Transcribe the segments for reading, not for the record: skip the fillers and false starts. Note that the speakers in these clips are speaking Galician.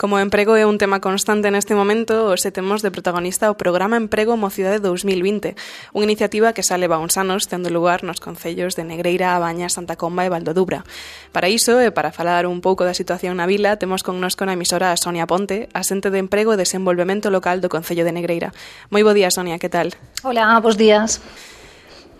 Como o emprego é un tema constante neste momento, hoxe temos de protagonista o Programa Emprego Mocidade 2020, unha iniciativa que xa leva uns anos tendo lugar nos concellos de Negreira, A Baña, Santa Comba e Valdodubra. Para iso, e para falar un pouco da situación na vila, temos connosco na emisora a Sonia Ponte, asente de Emprego e Desenvolvemento Local do Concello de Negreira. Moi bo día, Sonia, que tal? Hola, bos días.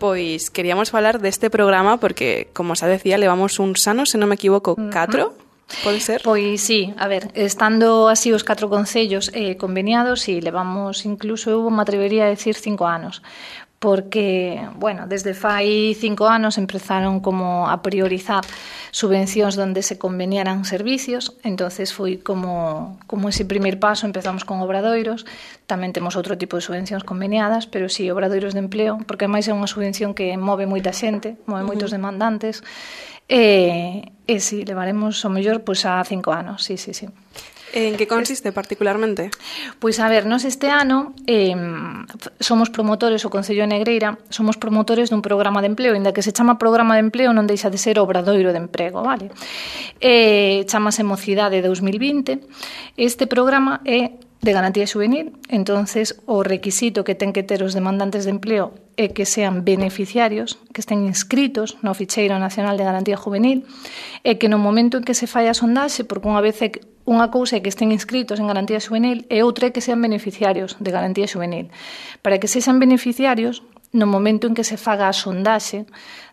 Pois queríamos falar deste programa porque, como xa decía, levamos uns anos, se non me equivoco, 4. Pode ser? Pois sí, a ver, estando así os 4 concellos conveniados, e levamos incluso, eu me atrevería a decir 5 anos, porque, bueno, desde fai 5 anos empezaron como a priorizar subvencións donde se conveniaran servicios, entonces foi como ese primer paso, empezamos con obradoiros, tamén temos outro tipo de subvencións conveniadas, pero sí, obradoiros de empleo, porque máis é unha subvención que move moita xente, move moitos demandantes, e si, levaremos o mellor pois a 5 anos, sí. En que consiste particularmente? Pois a ver, nos este ano somos promotores, o Concello de Negreira, somos promotores dun programa de empleo, inda que se chama programa de empleo non deixa de ser obradoiro de emprego, vale? Chámase Mocidade 2020. Este programa é de garantía xuvenil, entonces o requisito que ten que ter os demandantes de empleo é que sean beneficiarios, que estén inscritos no Ficheiro Nacional de Garantía Juvenil, e que no momento en que se fai a sondaxe, porque unha cousa é que estén inscritos en garantía xuvenil e outra é que sean beneficiarios de garantía xuvenil. Para que sexan beneficiarios, no momento en que se faga a sondaxe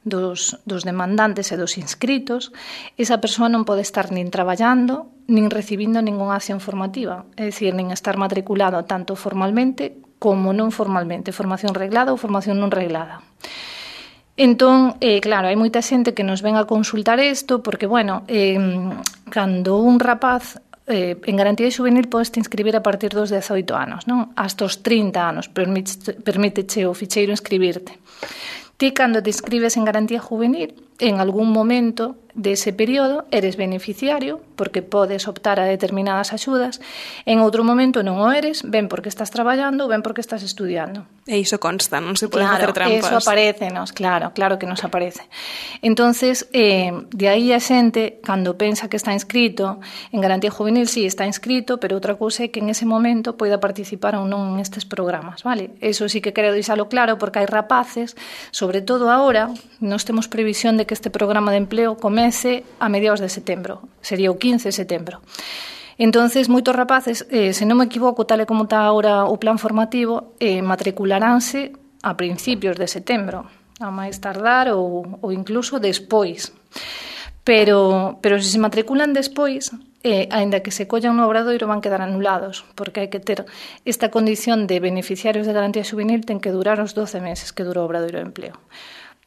dos demandantes e dos inscritos, esa persoa non pode estar nin traballando, nin recibindo ningunha acción formativa, é dicir, nin estar matriculado tanto formalmente como non formalmente, formación reglada ou formación non reglada. Entón, claro, hai moita xente que nos ven a consultar isto porque, bueno, cando un rapaz en garantía xuvenil podes te inscribir a partir dos 18 anos, non? Hasta os 30 anos permíteche o ficheiro inscribirte. Ti, cando te inscribes en garantía juvenil, en algún momento dese período eres beneficiario, porque podes optar a determinadas axudas, en outro momento non o eres, ben porque estás traballando, ben porque estás estudiando. E iso consta, non se pode facer trampas. Claro, eso aparecenos, claro que nos aparece. Entonces, de aí a xente, cando pensa que está inscrito en garantía juvenil, sí, está inscrito, pero outra cousa é que en ese momento poida participar ou non en estes programas, vale? Eso sí que quero deixalo claro, porque hai rapaces, sobre todo agora, nós temos previsión de que este programa de empleo comece a mediados de setembro, sería o 15 de setembro. Entonces, moitos rapaces, se non me equivoco, tal e como está agora o plan formativo, matricularanse a principios de setembro, a máis tardar ou incluso despois. Pero se se matriculan despois, aínda que se collan no obradoiro, van quedar anulados, porque hai que ter esta condición de beneficiarios de garantía xuvenil, ten que durar os 12 meses que dura o obradoiro de empleo.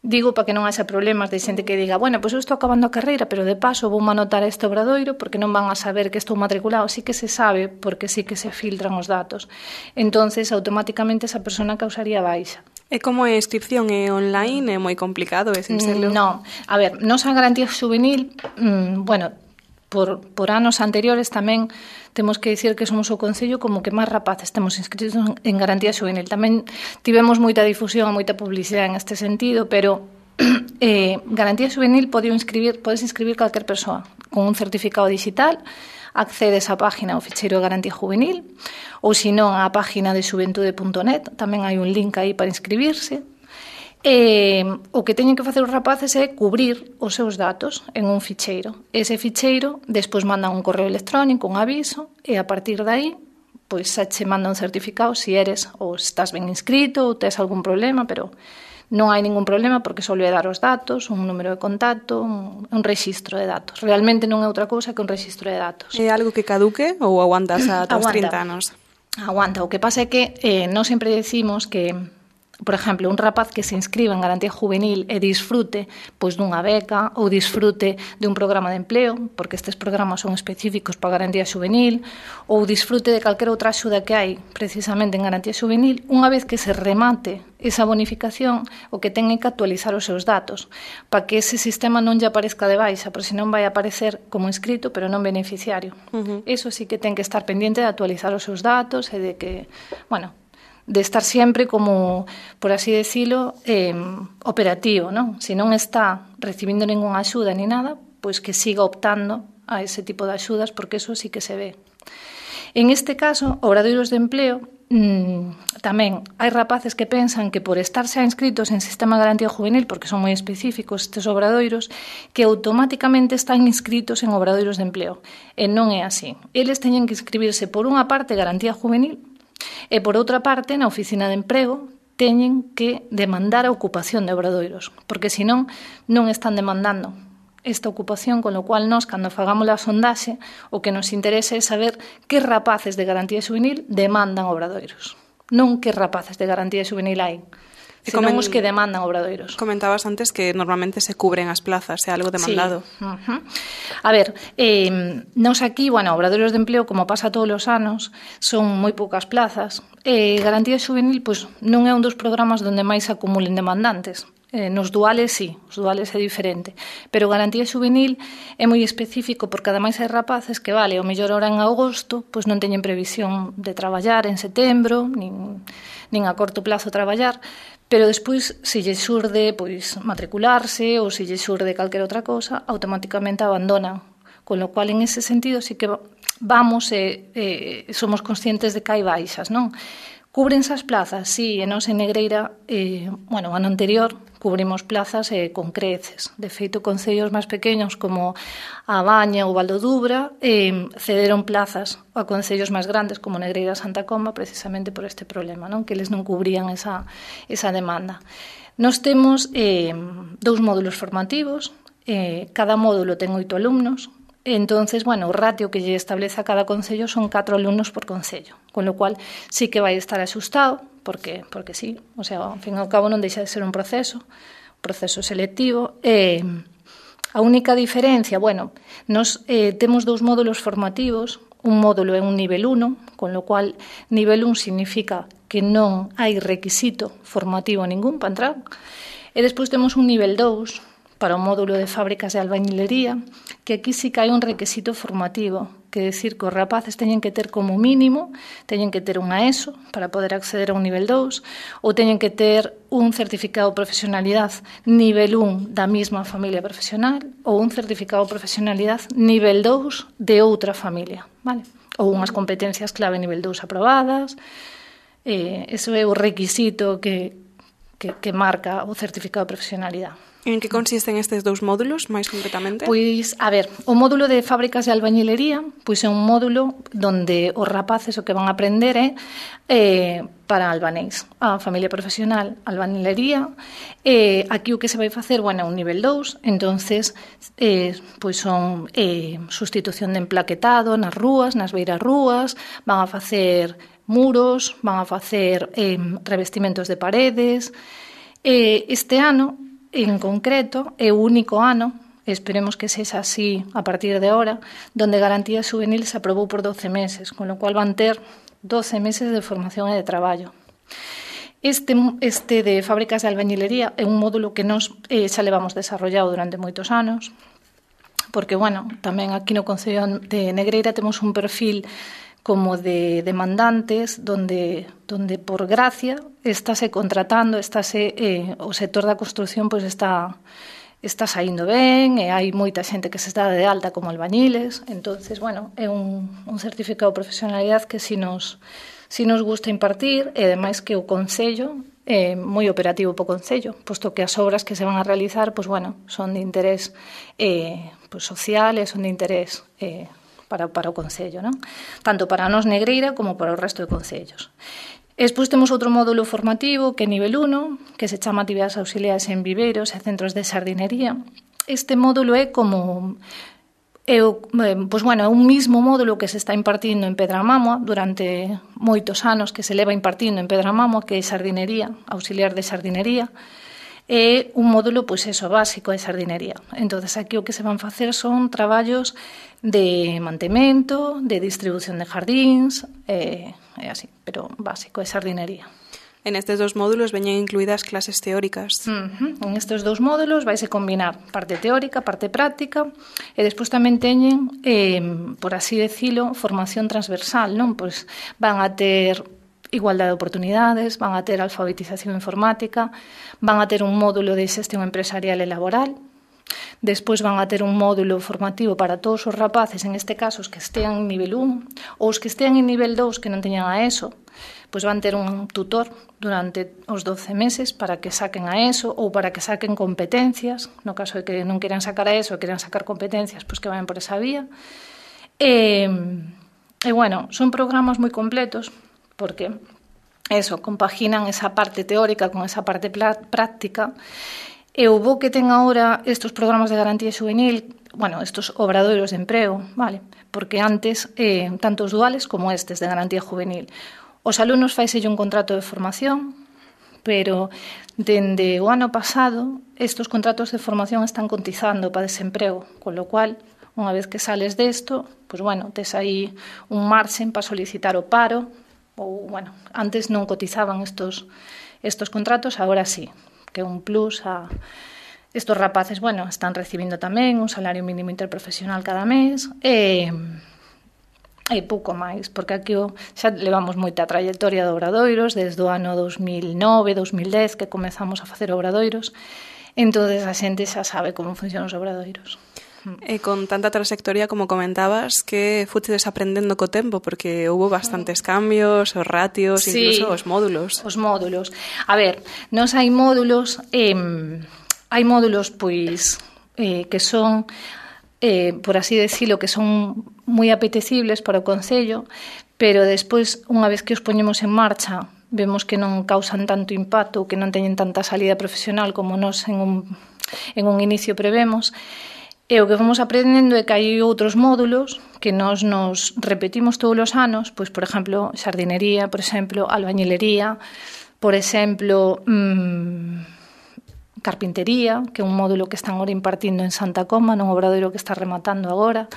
Digo para que non haxa problemas de xente que diga, bueno, pois eu estou acabando a carreira, pero de paso vou anotar este obradoiro porque non van a saber que estou matriculado. Sí que se sabe, porque sí que se filtran os datos. Entonces, automáticamente esa persona causaría baixa. E como é a inscripción? É online? É moi complicado? É sincero? Non. A ver, nos a garantía juvenil, bueno, por anos anteriores tamén temos que dicir que somos o concello como que máis rapaces temos inscritos en garantía xuvenil. Tamén tivemos moita difusión e moita publicidade en este sentido, pero garantía xuvenil podes inscribir calquer persoa con un certificado digital, accedes á página do ficheiro de garantía juvenil, ou senón á página de xuventude.net, tamén hai un link aí para inscribirse. O que teñen que facer os rapaces é cubrir os seus datos en un ficheiro. Ese ficheiro despois mandan un correo electrónico, un aviso, e a partir de aí pois xa che manda un certificado se eres ou estás ben inscrito ou tes algún problema, pero non hai ningún problema porque só lhe dar os datos, un número de contacto, un rexistro de datos. Realmente non é outra cousa que un rexistro de datos. É algo que caduque ou aguantas ata os 30 anos? Aguanta. O que pasa é que non sempre decimos que, por exemplo, un rapaz que se inscriba en garantía juvenil e disfrute pois dunha beca ou disfrute de un programa de empleo, porque estes programas son específicos para garantía juvenil, ou disfrute de calquera outra axuda que hai precisamente en garantía juvenil, unha vez que se remate esa bonificación, o que ten é que actualizar os seus datos para que ese sistema non lle aparezca de baixa, porque senón vai aparecer como inscrito pero non beneficiario. Eso sí que ten que estar pendiente de actualizar os seus datos e de que, bueno, de estar sempre como, por así decirlo, operativo, non? Se non está recibindo ningunha axuda ni nada, pois que siga optando a ese tipo de axudas, porque eso sí que se ve. En este caso, obradoiros de empleo, tamén hai rapaces que pensan que por estar xa inscritos en Sistema de Garantía Juvenil, porque son moi específicos estes obradoiros, que automáticamente están inscritos en obradoiros de empleo. E non é así. Eles teñen que inscribirse por unha parte Garantía Juvenil e por outra parte na Oficina de Emprego teñen que demandar a ocupación de obradoiros, porque senón non están demandando esta ocupación, con lo cual nós, cando fagamos a sondaxe, o que nos interesa é saber que rapaces de Garantía Juvenil demandan obradoiros, non que rapaces de Garantía Juvenil hai, senón os que demandan obradoiros. Comentabas antes que normalmente se cubren as plazas, é algo demandado. Sí. A ver, nos aquí, obradoiros de empleo, como pasa todos os anos, son moi poucas plazas. Garantía Juvenil pois, non é un dos programas onde máis se acumulen demandantes. Nos duales, sí, os duales é diferente. Pero Garantía Juvenil é moi específico porque ademais hai rapaces que, o mellor ahora en agosto, pois non teñen previsión de traballar en setembro, nin a corto plazo traballar, pero despois, se lle xurde pois, matricularse ou se lle xurde calquera outra cosa, automáticamente abandonan. Con lo cual, en ese sentido, sí que vamos somos conscientes de que hai baixas, non? Cúbrense as plazas, sí, e nós en Negreira, o ano anterior, cubrimos plazas con creces. De feito, concellos máis pequenos como a Baña ou Valdodubra cederon plazas a concellos máis grandes como Negreira e Santa Comba precisamente por este problema, non? Que eles non cubrían esa demanda. Nós temos 2 módulos formativos, cada módulo ten 8 alumnos. Entonces, o ratio que lle establece a cada concello son 4 alumnos por concello, con lo cual sí que vai estar axustado, porque sí, o sea, ao fin e ao cabo non deixa de ser un proceso selectivo. A única diferencia, nos temos 2 módulos formativos, un módulo é un nivel 1, con lo cual nivel 1 significa que non hai requisito formativo ningún para entrar, e despois temos un nivel 2, para o módulo de fábricas de albañilería, que aquí sí que hai un requisito formativo, que decir que os rapaces teñen que ter como mínimo, teñen que ter unha ESO para poder acceder a un nivel 2, ou teñen que ter un certificado de profesionalidade nivel 1 da mesma familia profesional, ou un certificado de profesionalidade nivel 2 de outra familia, vale? Ou unhas competencias clave nivel 2 aprobadas. Eso é o requisito que marca o certificado de profesionalidade. En que consisten estes 2 módulos, máis concretamente? Pois, a ver, o módulo de fábricas de albañilería pois é un módulo onde os rapaces o que van a aprender é para albanés, a familia profesional, albañilería. Aquí o que se vai facer, é un nivel 2, entonces pois son sustitución de emplaquetado nas rúas, nas beiras rúas, van a facer muros, van a facer revestimentos de paredes. Este ano, en concreto, é o único ano, esperemos que sexa así a partir de ahora, donde Garantía Juvenil se aprobou por 12 meses, con lo cual van ter 12 meses de formación e de traballo. Este de fábricas de albañilería é un módulo que nós xa levamos desarrollado durante moitos anos, porque, tamén aquí no Concello de Negreira temos un perfil como de demandantes, donde por gracia estáse contratando, o sector da construción pois está saindo ben, e hai moita xente que se está de alta como albañiles, entonces, é un certificado de profesionalidade que si nos gusta impartir, e ademais que o Concello é moi operativo para o Concello, posto que as obras que se van a realizar, son de interés social e son de interés para o Concello, non? Tanto para nós Negreira como para o resto de concellos. Despois temos outro módulo formativo que é nivel 1, que se chama actividades auxiliares en viveiros e centros de xardinería. Este módulo é como un mismo módulo que se está impartindo en Pedramamua durante moitos anos, que se leva impartindo en Pedramamua, que é xardinería, auxiliar de xardinería. É un módulo, básico de xardinería. Entonces, aquí o que se van facer son traballos de mantemento, de distribución de jardíns, así, pero básico de xardinería. En estes 2 módulos veñen incluídas clases teóricas. En estes 2 módulos vaise combinar parte teórica, parte práctica, e despois tamén teñen, por así decilo, formación transversal, non? Pois van a ter igualdade de oportunidades, van a ter alfabetización informática, van a ter un módulo de xestión empresarial e laboral, Despois van a ter un módulo formativo para todos os rapaces, en este caso os que estean en nivel 1 ou os que estean en nivel 2 que non teñan a ESO, pois van ter un tutor durante os 12 meses para que saquen a ESO ou para que saquen competencias, no caso de que non queran sacar a ESO, queran sacar competencias, pois que vayan por esa vía. E bueno, son programas moi completos porque eso, compaginan esa parte teórica con esa parte práctica. E o bo que ten agora estes programas de garantía juvenil, bueno, estes obradoiros de emprego, vale? Porque antes, tanto os duales como estes de garantía juvenil, os alumnos faiselle un contrato de formación, pero dende o ano pasado estes contratos de formación están cotizando para desemprego, con lo cual, unha vez que sales desto, pois bueno, tes aí un marxen para solicitar o paro, ou, bueno, antes non cotizaban estos contratos, agora sí, que é un plus a estos rapaces, bueno, están recibindo tamén un salario mínimo interprofesional cada mes e pouco máis, porque aquí xa levamos moita trayectoria de obradoiros desde o ano 2009, 2010 que comezamos a facer obradoiros, entonces a xente xa sabe como funcionan os obradoiros. E con tanta trayectoria, como comentabas, que fuches aprendendo co tempo, porque houve bastantes cambios, os ratios, sí, incluso os módulos. Os módulos. A ver, nos hai módulos pois que son por así decirlo, que son moi apetecibles para o Concello, pero despois, unha vez que os poñemos en marcha, vemos que non causan tanto impacto, que non teñen tanta salida profesional como nos en un inicio prevemos. E o que vamos aprendendo é que hai outros módulos que nos repetimos todos os anos, pois, por exemplo, xardinería, por exemplo, albañilería, por exemplo, carpintería, que é un módulo que están agora impartindo en Santa Comba, nun obradoiro que está rematando agora,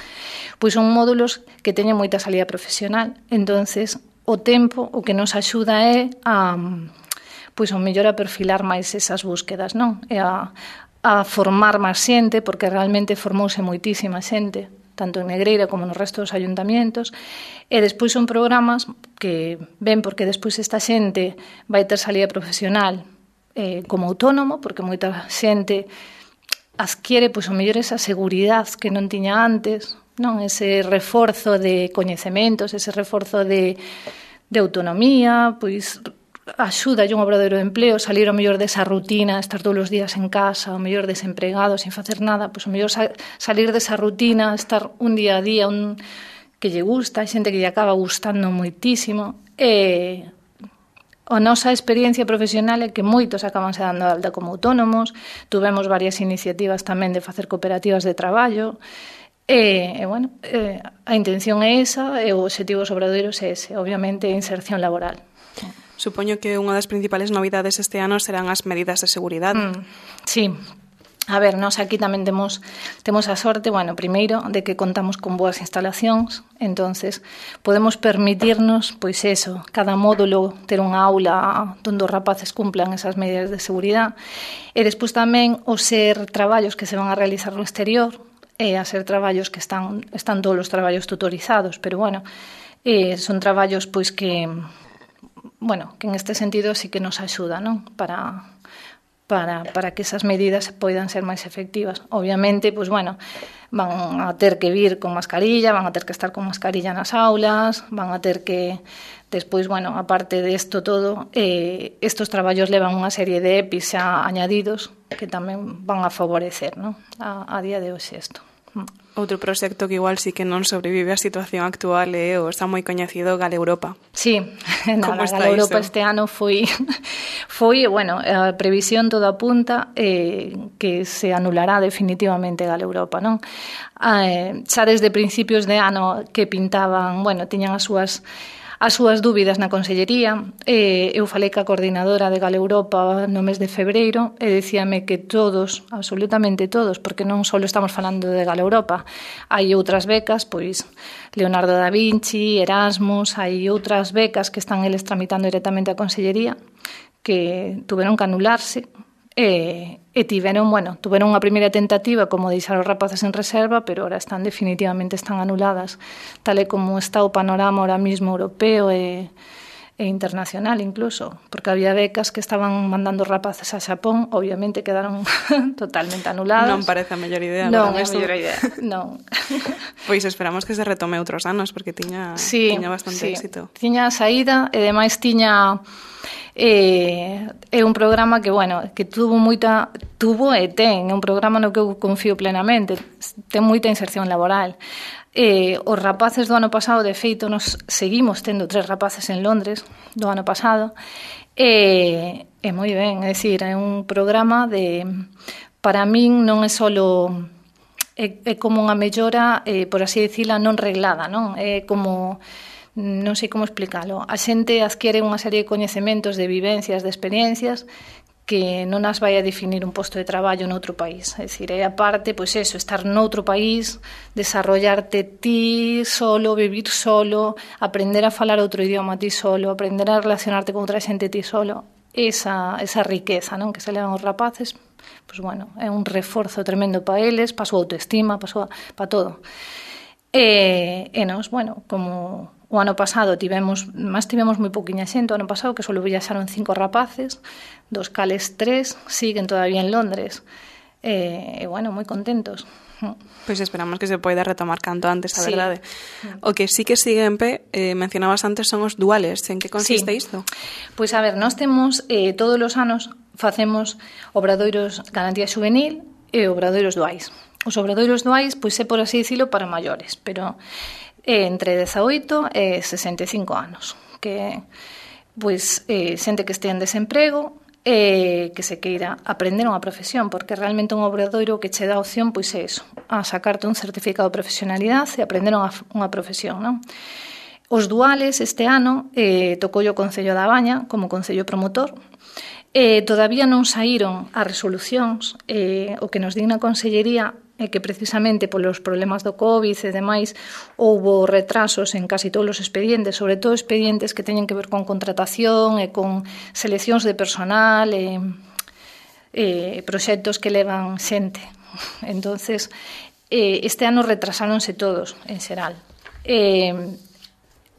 pois son módulos que teñen moita salida profesional. Entonces, o tempo o que nos axuda é a mellor a perfilar máis esas búsquedas, non? E a formar máis xente, porque realmente formouse moitísima xente, tanto en Negreira como no resto dos ayuntamientos, e despois son programas que ven porque despois esta xente vai ter salida profesional como autónomo, porque moita xente adquiere, pois, o mellor esa seguridade que non tiña antes, non? Ese reforzo de coñecementos, ese reforzo de autonomía, pois axuda un obradoiro de empleo, salir ao mellor desa rutina, estar todos os días en casa, ao mellor desempregado, sin facer nada, pois ao mellor salir desa rutina, estar un día a día que lle gusta, hai xente que lle acaba gustando moitísimo, e a nosa experiencia profesional é que moitos acaban se dando alta como autónomos, tuvemos varias iniciativas tamén de facer cooperativas de traballo, e bueno, a intención é esa, e o obxectivo dos obradoiros é ese, obviamente, a inserción laboral. Supoño que unha das principales novidades este ano serán as medidas de seguridade. Sí. A ver, nós aquí tamén temos a sorte, bueno, primeiro, de que contamos con boas instalacións, entonces podemos permitirnos, pois eso, cada módulo ter unha aula onde os rapaces cumplan esas medidas de seguridade, e despois tamén os ser traballos que se van a realizar no exterior, e a ser traballos que están todos os traballos tutorizados, pero bueno, son traballos pois que, bueno, que en este sentido sí que nos axuda, non? Para que esas medidas poidan ser máis efectivas. Obviamente, pois bueno, van a ter que vir con mascarilla, van a ter que estar con mascarilla nas aulas, van a ter que, despois, bueno, aparte de isto todo, estos traballos levan unha serie de EPIs xa añadidos que tamén van a favorecer, non? A día de hoxe isto. Outro proxecto que igual sí que non sobrevive a situación actual é o está moi coñecido Galeuropa. Sí, Galeuropa este ano foi, bueno, a previsión toda apunta que se anulará definitivamente Galeuropa, non? Xa desde principios de ano que pintaban, bueno, tiñan as súas dúbidas na Consellería, eu falei ca coordinadora de Galeuropa no mes de febreiro e dicíame que todos, absolutamente todos, porque non só estamos falando de Galeuropa, hai outras becas, pois Leonardo da Vinci, Erasmus, hai outras becas que están eles tramitando directamente a Consellería que tuveron que anularse e tiveron unha primeira tentativa como deixar os rapaces en reserva, pero ahora definitivamente están anuladas, tal e como está o panorama ahora mismo europeo e e internacional incluso, porque había becas que estaban mandando rapaces a Xapón, obviamente quedaron totalmente anuladas. Non parece a mellor idea. Non é a mellor idea, non. Pois esperamos que se retome outros anos, porque tiña bastante éxito. Tiña saída e demais tiña... é un programa que, bueno, que tuvo e ten, é un programa no que eu confío plenamente, ten moita inserción laboral. Os rapaces do ano pasado, de feito, nos seguimos tendo 3 rapaces en Londres do ano pasado, e moi ben, é dicir, é un programa para min non é solo é como unha mellora, por así dicila, non reglada, non? É como, non sei como explicalo, a xente adquiere unha serie de coñecementos, de vivencias, de experiencias que non as vai a definir un posto de traballo noutro país. É dicir, é aparte, pois eso, estar noutro país, desarrollarte ti solo, vivir solo, aprender a falar outro idioma ti solo, aprender a relacionarte con outra xente ti solo. Esa riqueza, non, que se levan os rapaces, pois bueno, é un reforzo tremendo para eles, para a súa autoestima, para todo. E nos, bueno, como... O ano pasado tivemos moi pouquiña xente, o ano pasado que só viaxaron 5 rapaces, dos cales 3 siguen todavía en Londres. E bueno, moi contentos. Pois esperamos que se poida retomar canto antes, a verdade. O que sí que sigue en pé, mencionabas antes, son os duales. En que consiste isto? Pois a ver, nós temos todos os anos facemos obradoiros garantía xuvenil e obradoiros duais. Os obradoiros duais, pois é por así dicilo, para maiores, pero entre 18 e 65 anos, que pois xente que este en desemprego e que se queira aprender unha profesión, porque realmente un obradoiro que che dá opción pois é eso, a sacarte un certificado de profesionalidade e aprender unha profesión, non? Os duales este ano tocou o Concello da Baña como Concello Promotor. Todavía non saíron as resolucións, o que nos din na Consellería é que precisamente polos problemas do COVID e demais houbo retrasos en casi todos os expedientes, sobre todo expedientes que teñen que ver con contratación e con seleccións de personal e proxectos que levan xente. Entonces, este ano retrasáronse todos, en xeral.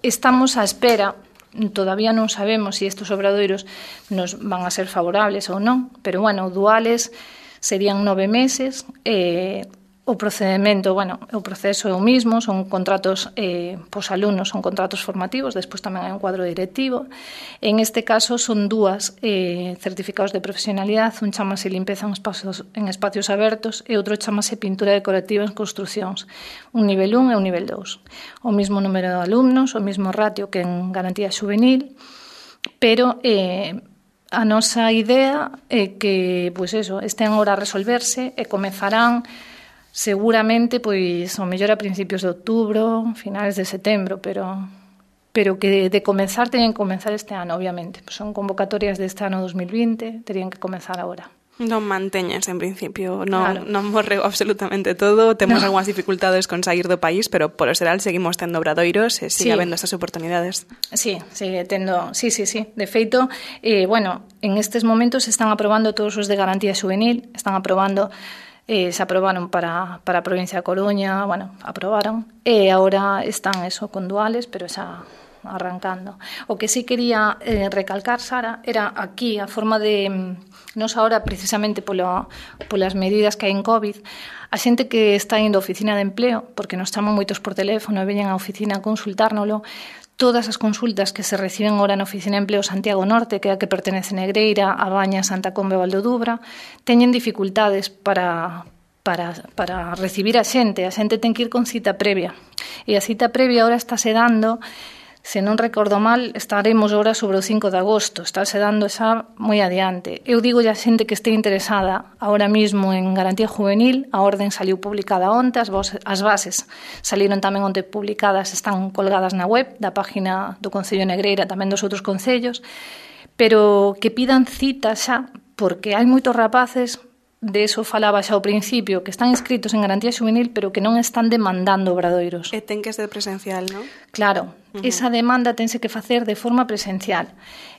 Estamos á espera, todavía non sabemos se estes obradoiros nos van a ser favorables ou non, pero, bueno, duales serían 9 meses, o procedimento, bueno, o proceso é o mismo, son contratos pos alumnos, son contratos formativos, despois tamén hai un cuadro directivo. En este caso son 2 certificados de profesionalidade, un chamase limpeza en espacios abertos e outro chamase pintura decorativa en construcións, un nivel 1 e un nivel 2. O mismo número de alumnos, o mismo ratio que en garantía xuvenil, pero a nosa idea é que, pois eso, estén agora a resolverse e comezarán seguramente, pois, o mellor a principios de outubro, finales de setembro, pero que de comenzar teñen que comenzar este ano, obviamente. Son convocatorias deste ano 2020, terían que comenzar agora. Non manteñas, en principio, non morreu absolutamente todo, temos algunhas dificultades con sair do país, pero por o xeral seguimos tendo obradoiros e sigue habendo estas oportunidades. Sí, sigue tendo, sí. De feito, bueno, en estes momentos se están aprobando todos os de garantía xuvenil, están aprobando, se aprobaron para a provincia de Coruña, bueno, aprobaron, e agora están eso, con duales, pero xa arrancando. O que sí quería recalcar, Sara, era aquí a forma de... Nos ahora, precisamente polas medidas que hai en COVID, a xente que está indo á oficina de empleo, porque nos chaman moitos por teléfono e veñen á oficina a consultárnolo, todas as consultas que se reciben agora na oficina de empleo Santiago Norte, que é a que pertenece Negreira, a Baña, Santa Comba e Valdodubra, teñen dificultades para recibir a xente ten que ir con cita previa. E a cita previa agora estáse dando... Se non recordo mal, estaremos agora sobre o 5 de agosto, estáse dando xa moi adiante. Eu digo a xente que este interesada ahora mismo en garantía juvenil, a orden saliu publicada onte, as bases saliron tamén onte publicadas, están colgadas na web da página do Concello de Negreira, tamén dos outros concellos, pero que pidan cita xa, porque hai moitos rapaces, de eso falaba xa ao principio, que están inscritos en garantía xuvenil, pero que non están demandando obradoiros. E ten que ser presencial, non? Claro, esa demanda tense que facer de forma presencial.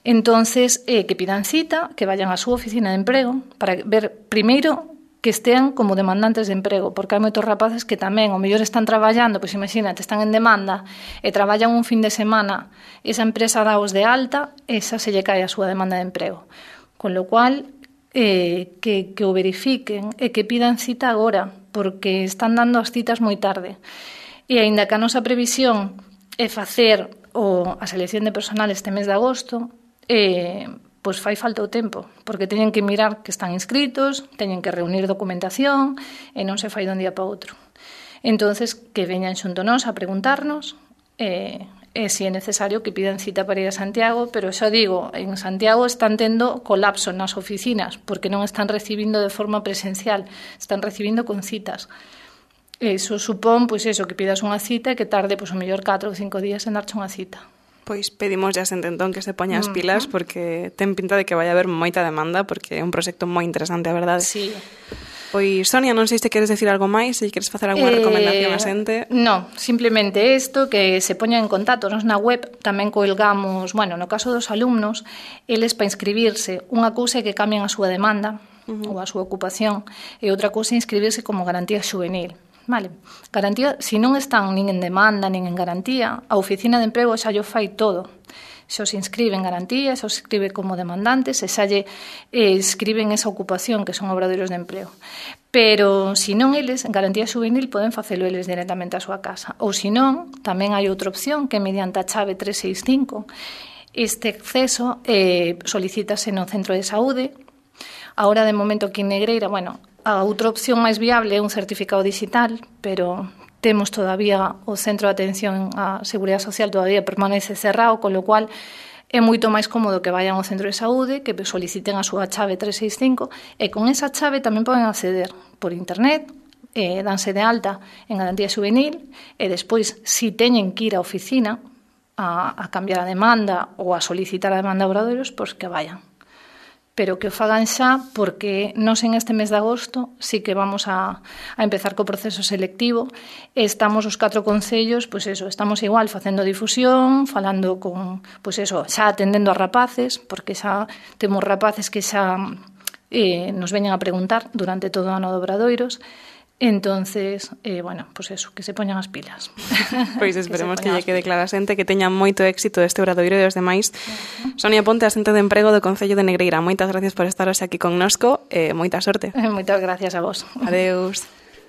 Entonces, que pidan cita, que vayan á súa oficina de emprego, para ver, primeiro, que estean como demandantes de emprego, porque hai moitos rapaces que tamén, ao mellor están traballando, pois imagínate, están en demanda e traballan un fin de semana, esa empresa daos de alta, esa se lle cae a súa demanda de emprego. Con lo cual, que o verifiquen e que pidan cita agora, porque están dando as citas moi tarde. E aínda que a nosa previsión é facer a selección de personal este mes de agosto, pois fai falta o tempo, porque teñen que mirar que están inscritos, teñen que reunir documentación e non se fai dun día para outro. Entonces, que veñan xunto nós a preguntarnos e se é necesario que pidan cita para ir a Santiago, pero xa digo, en Santiago están tendo colapso nas oficinas porque non están recibindo de forma presencial, están recibindo con citas. Eso supón, pois eso, que pidas unha cita e que tarde, pois, o mellor 4 ou 5 días en darche unha cita. Pois pedimos ya xente entón que se poña as pilas porque ten pinta de que vai haber moita demanda porque é un proxecto moi interesante, a verdade. Sí. Pois, Sonia, non sei se queres decir algo máis, se queres facer alguna recomendación a xente. No, simplemente isto, que se poñan en contacto. Nos na web tamén colgamos, bueno, no caso dos alumnos, eles para inscribirse, unha cousa é que cambien a súa demanda ou a súa ocupación e outra cousa é inscribirse como garantía xuvenil. Vale. Garantía, se non están nin en demanda, nin en garantía, a oficina de emprego xa llo fai todo. Xa se inscribe en garantía, xa se inscribe como demandantes, e xa lle escriben esa ocupación que son obradoiros de emprego. Pero, se non eles, en garantía juvenil, poden facelo eles directamente á súa casa. Ou, se non, tamén hai outra opción que mediante a chave 365 este acceso solicítase no centro de saúde. Ahora, de momento, aquí en Negreira, bueno, a outra opción máis viable é un certificado digital, pero temos todavía o centro de atención á Seguridade Social todavía permanece cerrado, con lo cual é moito máis cómodo que vayan ao centro de saúde, que soliciten a súa chave 365 e con esa chave tamén poden acceder por internet, danse de alta en garantía juvenil e despois, se teñen que ir á oficina a cambiar a demanda ou a solicitar a demanda a obradoiros, pois que vayan. Pero que o fagan xa, porque nós en este mes de agosto sí que vamos a empezar co proceso selectivo. Estamos os 4 concellos, pois eso, estamos igual facendo difusión, falando con, pois eso, xa atendendo a rapaces, porque xa temos rapaces que xa nos veñen a preguntar durante todo o ano de obradoiros. Entonces, bueno, pues eso, que se poñan as pilas. Pois esperemos que lle quede clara a xente, que teña moito éxito este obradoiro e os demais. Sonia Ponte, asente de emprego do Concello de Negreira. Moitas gracias por estar hoxe aquí connosco e moita sorte. Moitas gracias a vos. Adeus.